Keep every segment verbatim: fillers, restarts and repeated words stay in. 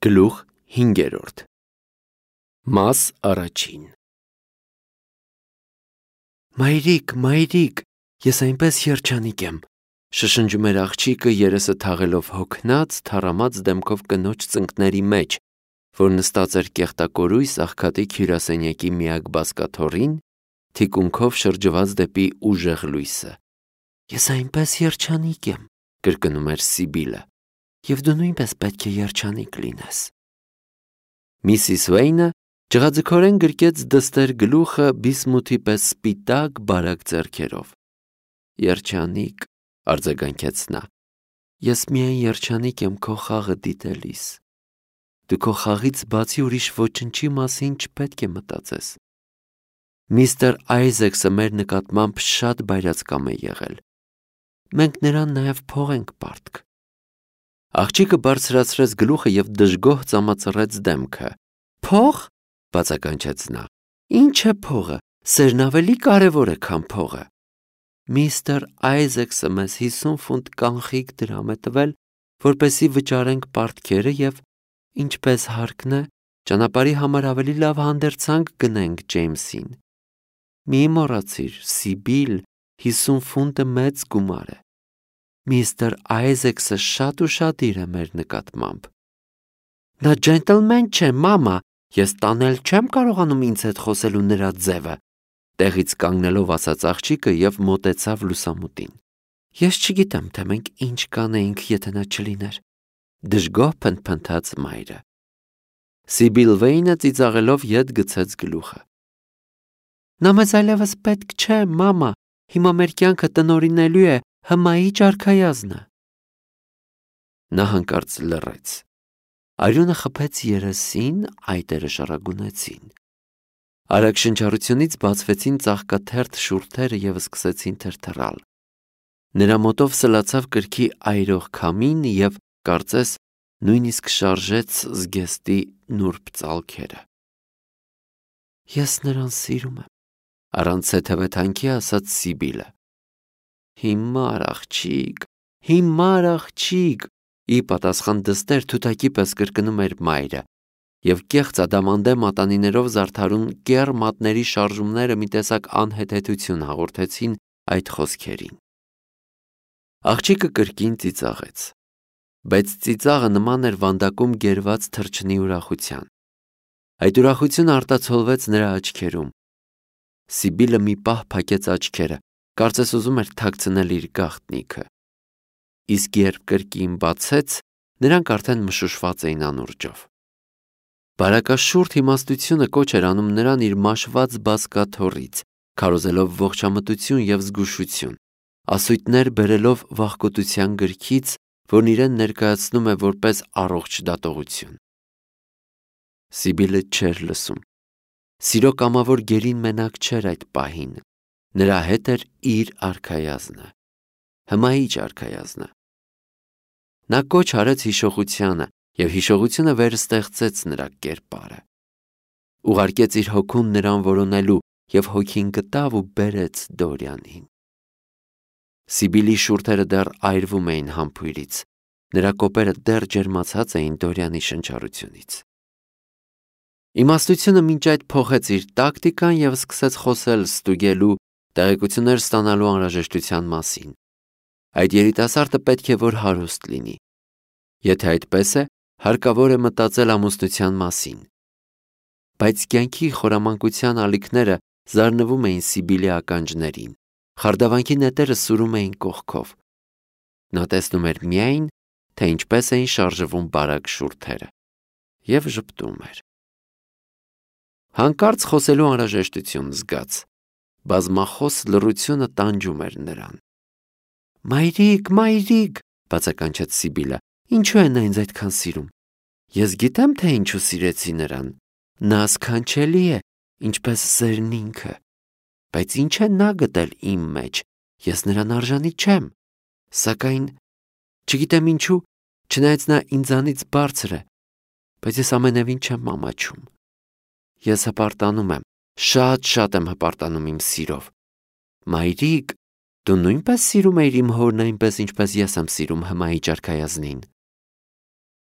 Գլուխ հինգերորդ Մաս առաջին Մայրիկ, մայրիկ, ես այնպես երջանիկ եմ, շշնջում էր աղջիկը երեսը թաղելով հոգնած, թառամած դեմքով կնոջ ծնկների մեջ, որ նստած էր կեղտակորույս աղքատիկ հյուրասենյակի միակ բազկաթոռին, թիկունքով շրջված դեպի ուժեղ լույսը։ Ես այնպես երջանիկ եմ, կրկնում էր Սիբիլը, և դու նույնպես պետք է երջանիկ լինես։ Միսիս Վեյնը ջղաձգորեն գրկեց դստեր գլուխը բիսմութի պես սպիտակ բարակ ձեռքերով։ Երջանիկ, արձագանքեց նա, ես միայն երջանիկ եմ քո խաղը դիտելիս։ Դու քո խաղից բացի ուրիշ ոչնչի մասին չպետք է մտածես։ Միստր Այզեքսը մեր նկատմամբ շատ բայրացկամ է եղել։ Մենք նրան նաև փող ենք պարտք։ Աղջիկը բարձրացրեց գլուխը և դժգոհ ծամացրեց դեմքը։ Փող, բացականչեց նա, ինչ է փողը, սերն ավելի կարևոր է, քան փողը։ Միստր Այզեքսը մեզ հիսուն ֆունտ կանխիկ դրամ է տվել, որպեսզի վճարենք պարտքերը և, ինչպես հարկն է, ճանապարհի համար ավելի լավ հանդերձանք գնենք Ջեյմսին։ Մի մոռացիր, Սիբիլ, հիսուն ֆունտը մեծ գումար է։ Միստր Այզեքսը շատ ուշադիր է մեր նկատմամբ։ Նա ջենտլմեն չէ, մամա, ես տանել չեմ կարողանում ինձ հետ խոսելու նրա ձևը, տեղից կանգնելով ասաց աղջիկը և մոտեցավ լուսամուտին։ Ես չգիտեմ, թե մենք ինչ կանեինք, եթե նա չլիներ, դժգոհ փնթփնթաց մայրը։ Սիբիլ Վեյնը ծիծաղելով ետ գցեց գլուխը։ Նա մեզ այլևս պետք չէ, մամա, հիմա մեր կյանքը տնօրինելու է հմայի ճարքայազնը։ Նա հանկարծ լռեց։ Արյունը խփեց երեսին, այտերը շառագունեցին։ Արագ շնչառությունից բացվեցին ծաղկաթերթ շուրթերը և սկսեցին թրթռալ։ Նրա մոտով սլացավ կրքի այրող քամին և, կարծես, նույնիսկ շարժեց զգեստի նուրբ ծալքերը։ Ես նրան սիրում եմ, առանց թեթևեթանքի ասաց Սիբիլը։ Հիմար աղջիկ, հիմար աղջիկ, ի պատասխան դստեր թութակի պես կրկնում էր մայրը, և կեղծ ադամանդե մատանիներով զարդարուն կեռ մատների շարժումները մի տեսակ անհեթեթություն հաղորդեցին այդ խոսքերին։ Աղջիկը կրկին ծիծաղեց, բայց ծիծաղը նման էր վանդակում գերված թռչնի ուրախության։ Այդ ուրախությունը արտացոլվեց նրա աչքերում։ Սիբիլը մի պահ փակեց աչքերը, կարծես ուզում էր թաքցնել իր գաղտնիքը։ Իսկ երբ կրկին բացեց, նրանք արդեն մշուշված էին անուրջով։ Բարակաշուրթ իմաստությունը կոչ էր անում նրան իր մաշված բազկաթոռից, քարոզելով ողջամտություն և զգուշություն, ասույթներ բերելով վախկոտության գրքից, որն իրեն ներկայացնում է որպես առողջ դատողություն։ Սիբիլը չէր լսում։ Սիրո կամավոր գերին մենակ չէր այդ պահին, նրա հետ էր իր արքայազնը, հմայիչ արքայազնը։ Նա կոչ արեց հիշողությանը, և հիշողությունը վերստեղծեց նրա կերպարը։ Ուղարկեց իր հոգուն նրան որոնելու և հոգին գտավ ու բերեց Դորիանին։ Սիբիլի շուրթերը դեռ այրվում էին համբույրից, նրա կոպերը դեռ ջերմացած էին Դորիանի շնչառությունից։ Իմաստությունը մինչ այդ փոխեց իր տակտիկան և սկսեց խոսել ստուգելու, տեղեկություններ ստանալու անհրաժեշտության մասին։ Այդ երիտասարդը պետք է որ հարուստ լինի։ Եթե այդպես է, հարկավոր է մտածել ամուսնության մասին։ Բայց կյանքի խորամանկության ալիքները զարնվում էին Սիբիլի ականջներին, խարդավանքի նետերը սուրում էին կողքով։ Նա տեսնում էր միայն, թե ինչպես էին շարժվում բարակ շուրթերը, և ժպտում էր։ Հանկարծ խոսելու անհրաժեշտություն զգաց։ Բազմախոս լռությունը տանջում էր նրան։ Մայրիկ, մայրիկ, բացականչեց Սիբիլը, ինչու է նա ինձ այդքան սիրում։ Ես գիտեմ, թե ինչու սիրեցի նրան։ Նա սքանչելի է, ինչպես սերն ինքը։ Բայց ինչ է նա գտել իմ մեջ, ես նրան արժանի չեմ։ Սակայն, չգիտեմ ինչու, չնայած նա ինձանից բարձր է, բայց ես ամենևին չեմ ամաչում։ Ես հպարտանում եմ, շատ-շատ եմ հպարտանում իմ սիրով։ Մայրիկ, դու նույնպես սիրում էիր իմ հորն այնպես, ինչպես ես եմ սիրում հմայի ճարքայազնին։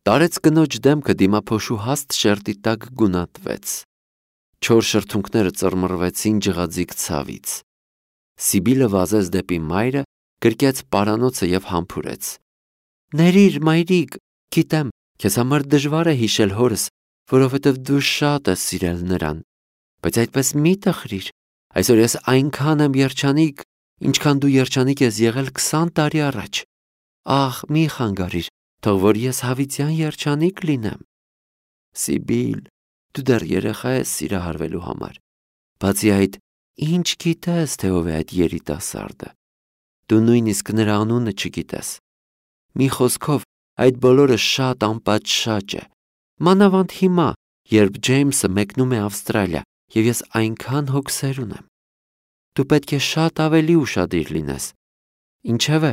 Տարեց կնոջ դեմքը դիմափոշու հաստ շերտի տակ գունատվեց։ Չոր շրթունքները ծռմռվեցին ջղաձիգ ցավից։ Սիբիլը վազեց դեպի մայրը, գրկեց պարանոցը և համբուրեց. «Ներիր, մայրիկ, գիտեմ, քեզ համար դժվար է հիշել հորս, որովհետև դու շատ ես սիրել նրան, բայց այդպես մի տխրիր, այսօր ես այնքան եմ երջանիկ, ինչքան դու երջանիկ ես եղել քսան տարի առաջ։ Ախ, մի խանգարիր, թող որ ես հավիտյան երջանիկ լինեմ։ Սիբիլ, դու դեռ երեխա ես սիրահարվելու համար, բացի այդ, ինչ գիտես, թե ով է այդ երիտասարդը։ Դու նույնիսկ նրա անունը չգիտես։ Մի խոսքով, այդ բոլորը շատ անպատշաճ է։ Մանավանդ հիմա, երբ Ջեյմսը մեկնում է Ավստրալիա, և ես այնքան հոգսեր ունեմ։ Դու պետք է շատ ավելի ուշադիր լինես։ Ինչևէ,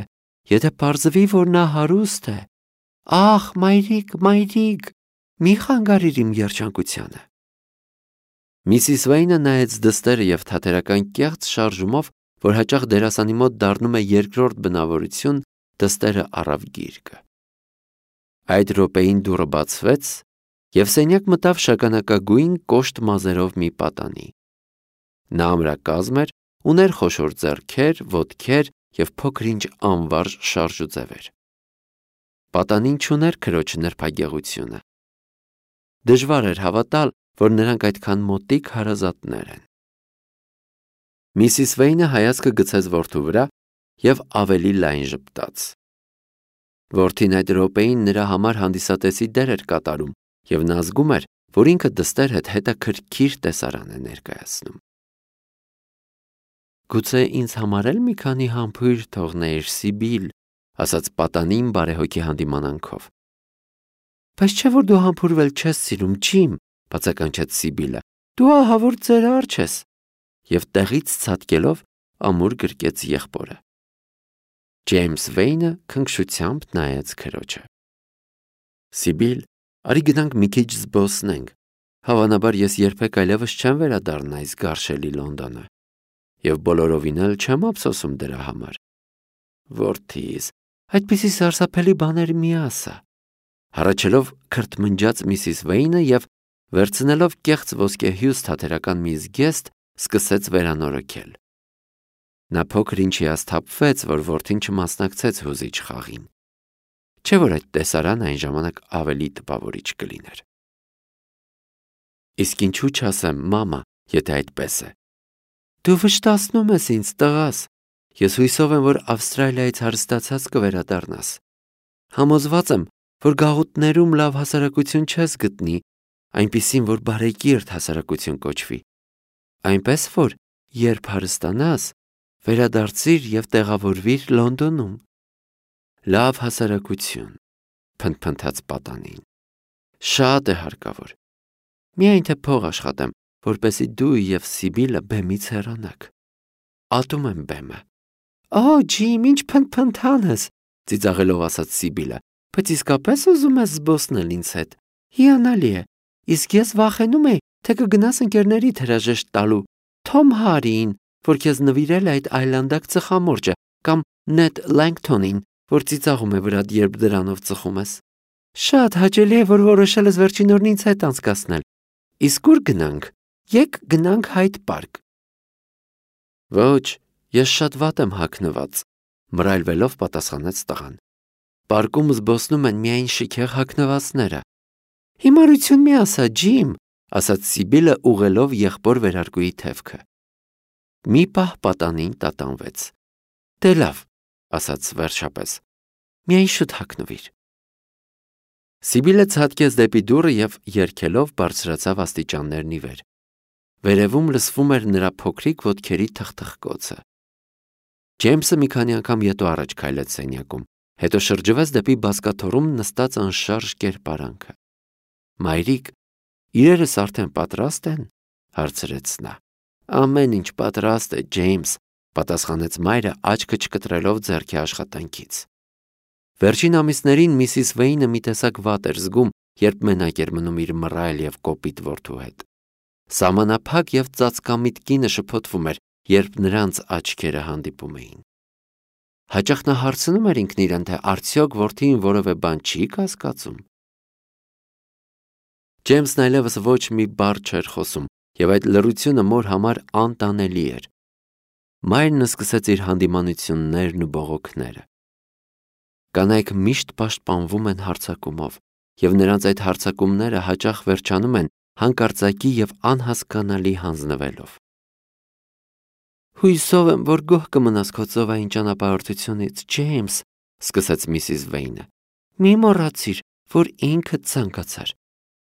եթե պարզվի, որ նա հարուստ է, ախ, մայրիկ, մայրիկ, մի խանգարիր իմ երջանկությանը։ Միսիս Վեյնը նայեց դստերը և թատերական կեղծ շարժումով, որ հաճախ դերասանի մոտ դառնում է երկրորդ բնավորություն, դստերը առավ գիրկը։ Այդ րոպեին դուռը բացվեց, և սենյակ մտավ շագանակագույն կոշտ մազերով մի պատանի։ Նա ամրակազմ էր, ուներ խոշոր ձեռքեր, ոտքեր և փոքր-ինչ անվարժ շարժուձևեր։ Պատանին չուներ քրոջ նրբագեղությունը։ Դժվար էր հավատալ, որ նրանք այդքան մոտիկ հարազատներ են։ Միսիս Վեյնը հայացքը գցեց որդու վրա և ավելի լայն ժպտաց։ Որդին այդ րոպեին նրա համար հանդիսատեսի դեր էր կատարում, և նա զգում էր, որ ինքը դստեր հետ հետաքրքիր տեսարան է ներկայացնում։ Գուցե ինձ համար էլ մի քանի համբույր թողնեիր, Սիբիլ, ասաց պատանին բարեհոգի հանդիմանանքով։ Բայց չէ՞ որ դու համբուրվել չես սիրում, Ջիմ, բացականչեց Սիբիլը, դու ահավոր ծերար ես, և տեղից ցատկելով ամուր գրկեց եղբորը։ Ջեյմս Վեյնը քնքշությամբ նայեց քրոջը։ Սիբիլ, արի գնանք մի քիչ զբոսնենք, հավանաբար ես երբեք այլևս չեմ վերադառնա այս գարշելի Լոնդոնը, և բոլորովին էլ չեմ ափսոսում դրա համար։ Որդիս, այդպիսի սարսափելի բաներ մի ասա, հառաչելով քրթմնջաց Միսիս Վեյնը և վերցնելով կեղծ ոսկեհյուս թատերական մի զգեստ, սկսեց վերանորոգել։ Նա փոքր-ինչ հիասթափվեց, որ որդին չմասնակցեց հուզիչ խաղին։ Չէ՞ որ այդ տեսարանը այն ժամանակ ավելի տպավորիչ կլիներ։ Իսկ ինչու չասեմ, մամա, եթե այդպես է։ Դու վշտացնում ես ինձ, տղաս։ Ես հույսով եմ, որ Ավստրալիայից հարստացած կվերադառնաս։ Համոզված եմ, որ գաղութներում լավ հասարակություն չես գտնի, այնպիսին, որ բարեկիրթ հասարակություն կոչվի։ Այնպես որ, երբ հարստանաս, վերադարձիր և տեղավորվիր Լոնդոնում։ Լավ հասարակություն, փնթփնթաց պատանին։ Շատ է հարկավոր։ Միայն թե փող աշխատեմ, որպեսզի դու և Սիբիլը բեմից հեռանաք։ Ատում եմ բեմը։ Օ, Ջիմ, ինչ փնթփնթան ես, ծիծաղելով ասաց Սիբիլը, բայց իսկապես ուզում ես զբոսնել ինձ հետ։ Հիանալի է, իսկ ես վախենում էի, թե կգնաս ընկերներիդ հրաժեշտ տալու, Թոմ Հարիին, որ քեզ նվիրել է այդ այլանդակ ծխամորճը, կամ Նեդ Լենգթոնին, որ ծիծաղում է վրադ, երբ դրանով ծխում ես։ Շատ հաճելի է, որ որոշել ես վերջին օրն ինձ հետ անցկացնել։ Իսկ ուր գնանք։ Եկ գնանք Հայդ պարկ։ Ոչ, ես շատ վատ եմ հագնված, մռայլվելով պատասխանեց տղան։ Պարկում զբոսնում են միայն շքեղ հագնվածները։ Հիմարություն մի ասա, Ջիմ, ասաց Սիբիլը ուղղելով եղբոր վերարկուի թևքը։ Մի պահ պատանին տատանվեց։ Դե լավ, ասաց վերջապես, միայն շուտ հագնվիր։ Սիբիլը ցատկեց դեպի դուռը և երգելով բարձրացավ աստիճաններն ի վեր։ Վերևում լսվում էր նրա փոքրիկ ոտքերի թխթխկոցը։ Ջեյմսը մի քանի անգամ ետո առաջ քայլեց սենյակում, հետո շրջվեց դեպի բազկաթոռում նստած անշարժ կերպարանքը։ Մայրիկ, իրերս արդեն պատրաստ են, հարցրեց նա։ Ամեն ինչ պատրաստ է, Ջեյմս, պատասխանեց մայրը աչքը չկտրելով ձեռքի աշխատանքից։ Վերջին ամիսներին Միսիս Վեյնը մի տեսակ վատ էր զգում, երբ մենակ էր մնում իր մռայլ և կոպիտ որդու հետ։ Սահմանափակ և ծածկամիտ կինը շփոթվում էր, երբ նրանց աչքերը հանդիպում էին։ Հաճախ նա հարցնում էր ինքն իրեն, թե արդյոք որդին որևէ բան չի կասկածում։ Ջեյմսն այլևս ոչ մի բառ չէր խոսում, եւ այդ լռությունը մոր համար անտանելի էր։ Մայրն սկսեց իր հանդիմանություններն ու բողոքները։ Կանայք միշտ պաշտպանվում են հարձակումով, եւ նրանց այդ հարձակումները հաճախ վերջանում են հանկարծակի եւ անհասկանալի հանձնվելով։ Հույսով եմ, որ գոհ կմնաս քո ծովային ճանապարհորդությունից, Ջեյմս, սկսեց միսիս Վեյնը։ Մի մոռացիր, որ ինքդ ցանկացար։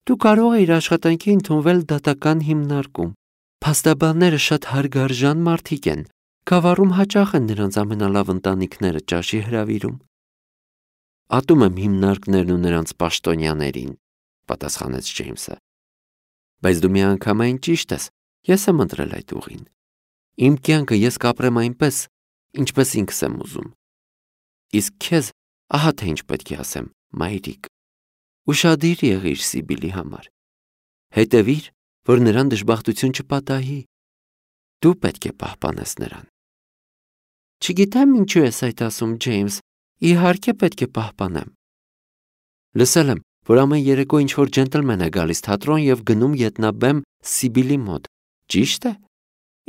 Դու կարող էիր աշխատանքի ընդունվել դատական հիմնարկում։ Փաստաբանները շատ հարգարժան մարդիկ են։ Գավառում հաճախ են նրանց ամենալավ ընտանիքները ճաշի հրավիրում։ Ատում եմ հիմնարկներն ու նրանց պաշտոնյաներին, պատասխանեց Ջեյմսը։ Բայց դու միանգամայն ճիշտ ես, ես եմ ընտրել այդ ուղին։ Իմ կյանքը ես կապրեմ այնպես, ինչպես ինքս եմ ուզում։ Իսկ քեզ ահա թե ինչ պետք է ասեմ, մայրիկ։ Ուշադիր եղիր Սիբիլի համար։ Հետևիր, որ նրան դժբախտություն չպատահի։ Դու պետք է պահպանես նրան։ Չգիտեմ ինչու ես այդ ասում, Ջեյմս, իհարկե պետք է պահպանեմ։ Լսել եմ, որ ամեն երեկո ինչ-որ ջենտլմեն է գալիս թատրոն եւ գնում ետնաբեմ Սիբիլի մոտ, ճիշտ է։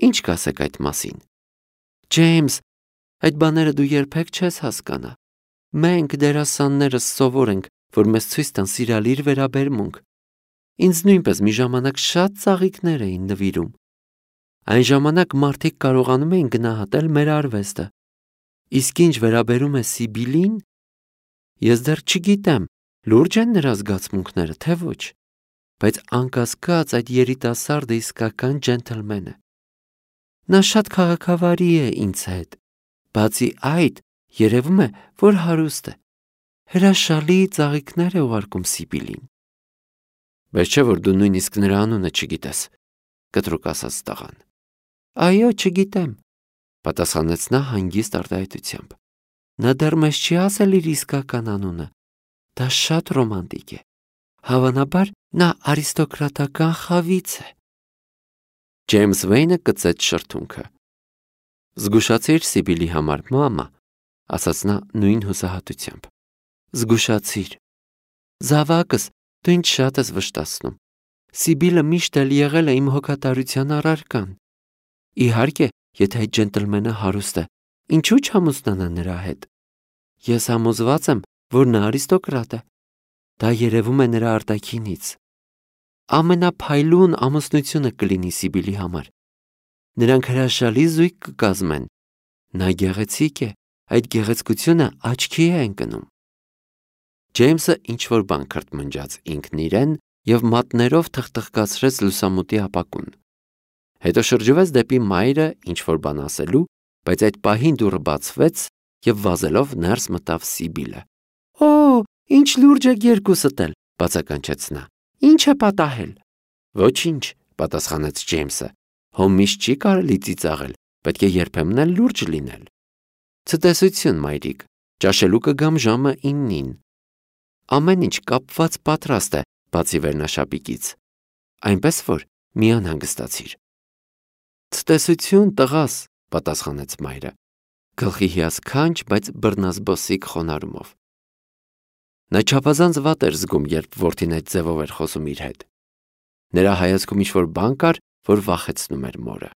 Ինչ կասեք այդ մասին։ Ջեյմս, այդ բաները դու երբեք չես հասկանա։ Մենք դերասաններս սովոր ենք, որ մեզ ցույց տան սիրալիր վերաբերմունք։ Ինձ նույնպես մի ժամանակ շատ ծաղիկներ էին նվիրում։ Այն ժամանակ մարդիկ կարողանում էին գնահատել մեր արվեստը։ Իսկ ինչ վերաբերում է Սիբիլին, ես դեռ չգիտեմ, լուրջ են նրա զգացմունքները, թե ոչ, բայց անկասկած այդ երիտասարդը իսկական ջենտլմեն է։ Նա շատ քաղաքավարի է ինձ հետ։ Բացի այդ, երևում է, որ հարուստ է։ Հրաշալի ծաղիկներ է ուղարկում Սիբիլին։ Բայց չէ՞ որ դու նույնիսկ նրա անունը չգիտես, կտրուկ ասաց տղան։ Այո, չգիտեմ, պատասխանեց նա հանգիստ արտահայտությամբ։ Նա դեռ մեզ չի ասել իր իսկական անունը։ Դա շատ ռոմանտիկ է։ Հավանաբար նա արիստոկրատական խավից է։ Ջեյմս Վեյնը կծեց շրթունքը։ Զգուշացիր Սիբիլի համար, մամա, ասաց նա նույն հուսահատությամբ։ Զգուշացիր։ Զավակս, դու ինձ շատ ես վշտացնում։ Սիբիլը միշտ էլ եղել է իմ հոգատարության առարկան։ Իհարկե, եթե այդ ջենտլմենը հարուստ է, ինչու չամուսնանա նրա հետ։ Ես համոզված եմ, որ նա արիստոկրատ է։ Դա երևում է նրա արտաքինից։ Ամենափայլուն ամուսնությունը կլինի Սիբիլի համար։ Նրանք հրաշալի զույգ կկազմեն։ Նա գեղեցիկ է, այդ գեղեցկությունը աչքի է ընկնում։ Ջեյմսը ինչ-որ բան քրթմնջաց ինքն իրեն եւ մատներով թխթխկացրեց լուսամուտի ապակուն։ Հետո շրջվեց դեպի մայրը ինչ-որ բան ասելու, բայց այդ պահին դուռը բացվեց եւ վազելով ներս մտավ Սիբիլը։ Օ, ինչ լուրջ եք երկուսդ էլ, բացականչեց նա։ Ինչ է պատահել։ Ոչինչ, պատասխանեց Ջեյմսը։ Հոմ միշտ չի կարելի ծիծաղել, պետք է երբեմն էլ լուրջ լինել։ Ցտեսություն, մայրիկ, ճաշելու կգամ ժամը իննին։ Ամեն ինչ կապված պատրաստ է, բացի վերնաշապիկից։ Այնպես որ մի անհանգստացիր։ Ցտեսություն, տղաս, պատասխանեց մայրը, գլխի հիասքանչ, բայց բռնազբոսիկ խոնարհումով։ Նա չափազանց վատ էր զգում, երբ որդին այդ ձևով էր խոսում իր հետ։ Նրա հայացքում ինչ-որ բան կար, որ վախեցնում էր մորը։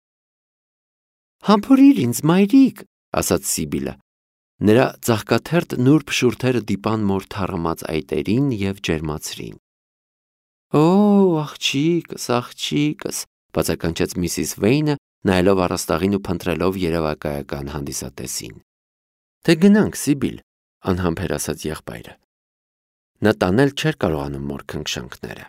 Համբուրիր ինձ, մայրիկ, ասաց Սիբիլը։ Նրա ծաղկաթերթ նուրբ շուրթերը դիպան մոր թառամած այտերին եւ ջերմացրին։ Օ, աղջիկս, աղջիկս, բացականչեց միսիս Վեյնը, նայելով առաստաղին ու փնտրելով երևակայական հանդիսատեսին։ Թե գնանք, Սիբիլ, անհամբեր ասաց եղբայրը։ Նա տանել չէր կարողանում մոր քնքշանքները։